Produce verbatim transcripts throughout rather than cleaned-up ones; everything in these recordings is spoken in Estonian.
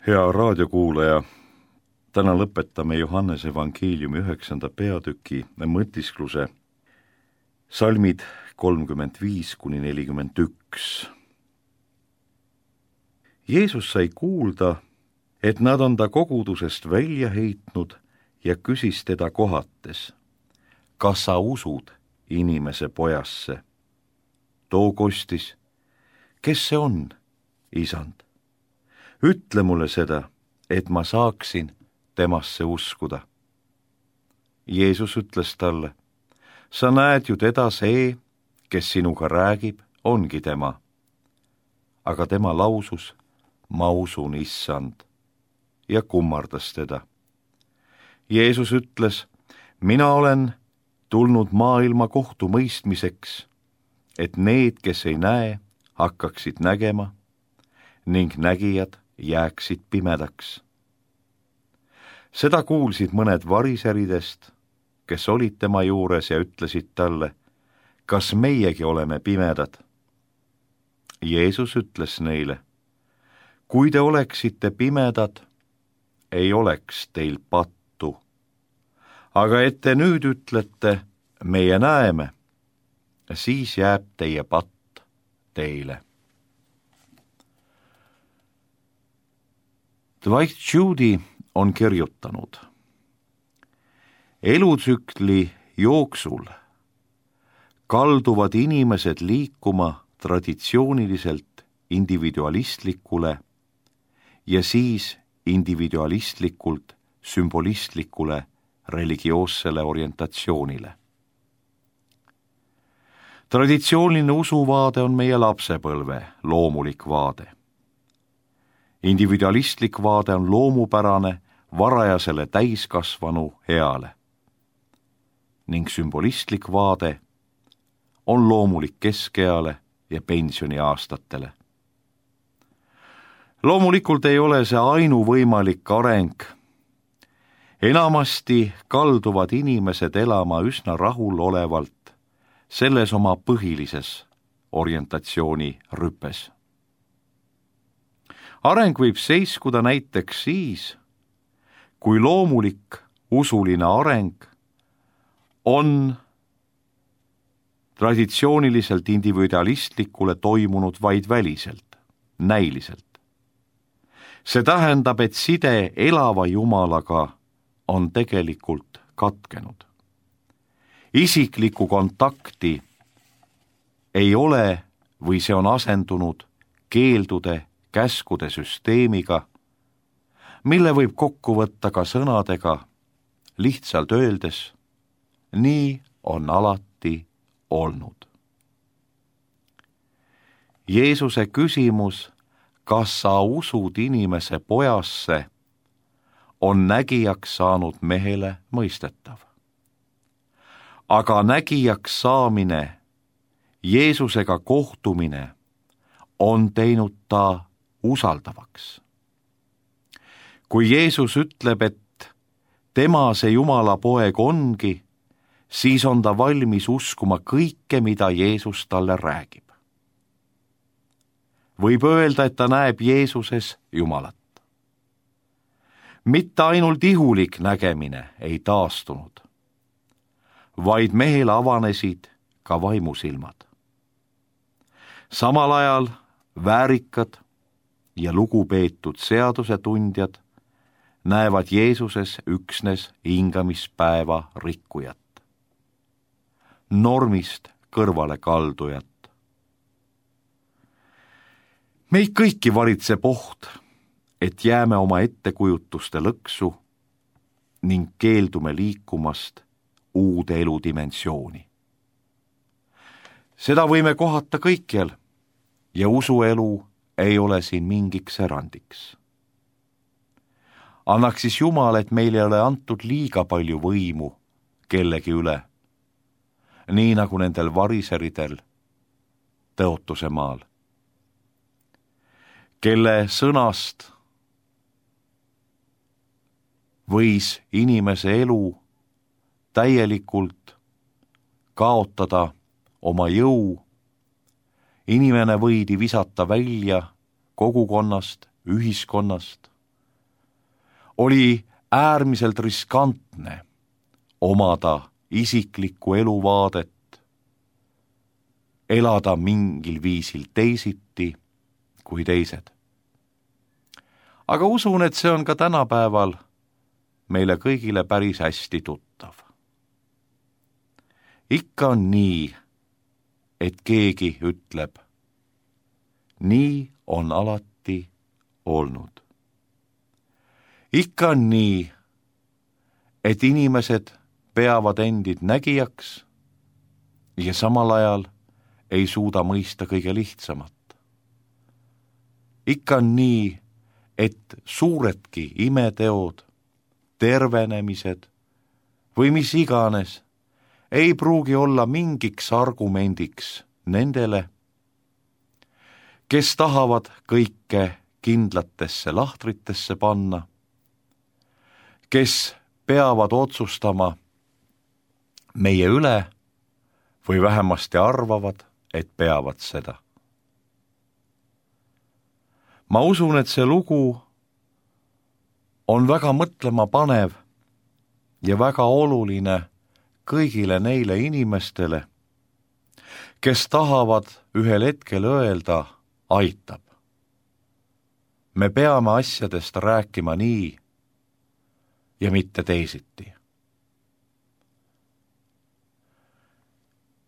Hea raadiokuulaja, täna lõpetame Johannese evangeeliumi üheksanda peatüki mõtiskluse salmid kolmkümmend viis kuni nelikümmend üks. Jeesus sai kuulda, et nad on ta kogudusest välja heitnud ja küsis teda kohates, kas sa usud inimese pojasse? Too kostis, kes see on, isand? Ütle mulle seda, et ma saaksin temasse uskuda. Jeesus ütles talle, sa näed ju teda, see, kes sinuga räägib, ongi tema. Aga tema lausus, ma usun issand, ja kummardas teda. Jeesus ütles, mina olen tulnud maailma kohtu mõistmiseks, et need, kes ei näe, hakkaksid nägema ning nägijad jääksid pimedaks. Seda kuulsid mõned variseridest, kes olid tema juures ja ütlesid talle, kas meiegi oleme pimedad? Jeesus ütles neile, kui te oleksite pimedad, ei oleks teil pattu. Aga et te nüüd ütlete, meie näeme, siis jääb teie patt teile. Dwight Judy on kirjutanud, elutsükli jooksul kalduvad inimesed liikuma traditsiooniliselt individualistlikule ja siis individualistlikult sümbolistlikule religioossele orientatsioonile. Traditsiooniline usuvaade on meie lapsepõlve loomulik vaade. Individualistlik vaade on loomupärane varajasele täiskasvanu eale ning sümbolistlik vaade on loomulik keskeale ja pensioniaastatele. Loomulikult ei ole see ainuvõimalik areng. Enamasti kalduvad inimesed elama üsna rahulolevalt selles oma põhilises orientatsiooni rüpes. Areng võib seiskuda näiteks siis, kui loomulik usuline areng on traditsiooniliselt individualistlikule toimunud vaid väliselt, näiliselt. See tähendab, et side elava Jumalaga on tegelikult katkenud. Isiklikku kontakti ei ole või see on asendunud keeldude käskude süsteemiga, mille võib kokku võtta ka sõnadega, lihtsalt öeldes, nii on alati olnud. Jeesuse küsimus, kas sa usud inimese pojasse, on nägijaks saanud mehele mõistetav. Aga nägijaks saamine, Jeesusega kohtumine on teinud ta usaldavaks. Kui Jeesus ütleb, et tema see Jumala poeg ongi, siis on ta valmis uskuma kõike, mida Jeesus talle räägib. Võib öelda, et ta näeb Jeesuses Jumalat. Mitte ainult ihulik nägemine ei taastunud, vaid mehele avanesid ka vaimusilmad. Samal ajal väärikad ja lugupeetud seadusetundjad näevad Jeesuses üksnes hingamispäeva rikkujat, normist kõrvale kaldujat. Meid kõiki varitseb oht, et jääme oma ettekujutuste lõksu ning keeldume liikumast uude eludimensiooni. Seda võime kohata kõikjal ja usuelu ei ole siin mingiks erandiks. Annaks siis Jumal, et meil ei ole antud liiga palju võimu kellegi üle, nii nagu nendel variseridel Tõotuse maal, kelle sõnast võis inimese elu täielikult kaotada oma jõu. Inimene võidi visata välja kogukonnast, ühiskonnast, oli äärmiselt riskantne omada isiklikku eluvaadet, elada mingil viisil teisiti kui teised. Aga usun, et see on ka tänapäeval meile kõigile päris hästi tuttav. Ikka on nii, et keegi ütleb, nii on alati olnud. Ikka on nii, et inimesed peavad endid nägijaks ja samal ajal ei suuda mõista kõige lihtsamat. Ikka on nii, et suuredki imeteod, tervenemised või mis iganes ei pruugi olla mingiks argumendiks nendele, kes tahavad kõike kindlatesse lahtritesse panna, kes peavad otsustama meie üle või vähemasti arvavad, et peavad seda. Ma usun, et see lugu on väga mõtlema panev ja väga oluline kõigile neile inimestele, kes tahavad ühel hetkel öelda, aitab. Me peame asjadest rääkima nii ja mitte teisiti.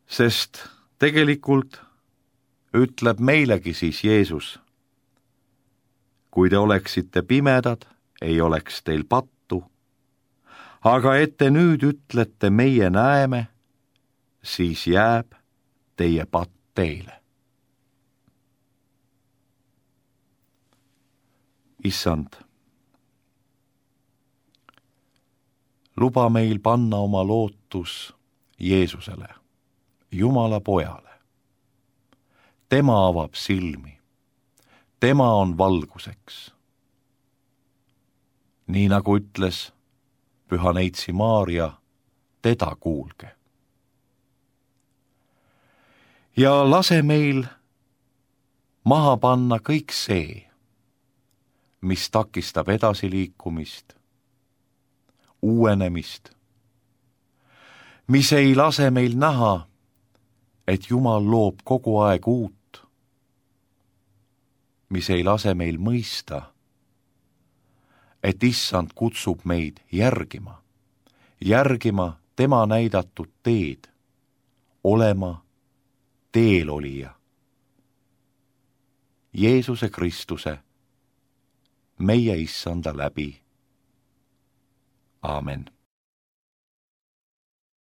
Sest tegelikult ütleb meilegi siis Jeesus, kui te oleksite pimedad, ei oleks teil pattu, aga et te nüüd ütlete, meie näeme, siis jääb teie patt teile. Issand, luba meil panna oma lootus Jeesusele, Jumala pojale. Tema avab silmi. Tema on valguseks. Nii nagu ütles Püha Neitsi Maarja, teda kuulge. Ja lase meil maha panna kõik see, mis takistab edasiliikumist, uuenemist, mis ei lase meil näha, et Jumal loob kogu aeg uut, mis ei lase meil mõista, et Issand kutsub meid järgima, järgima tema näidatud teed, olema teelolija. Jeesuse Kristuse, meie Issanda läbi. Aamen.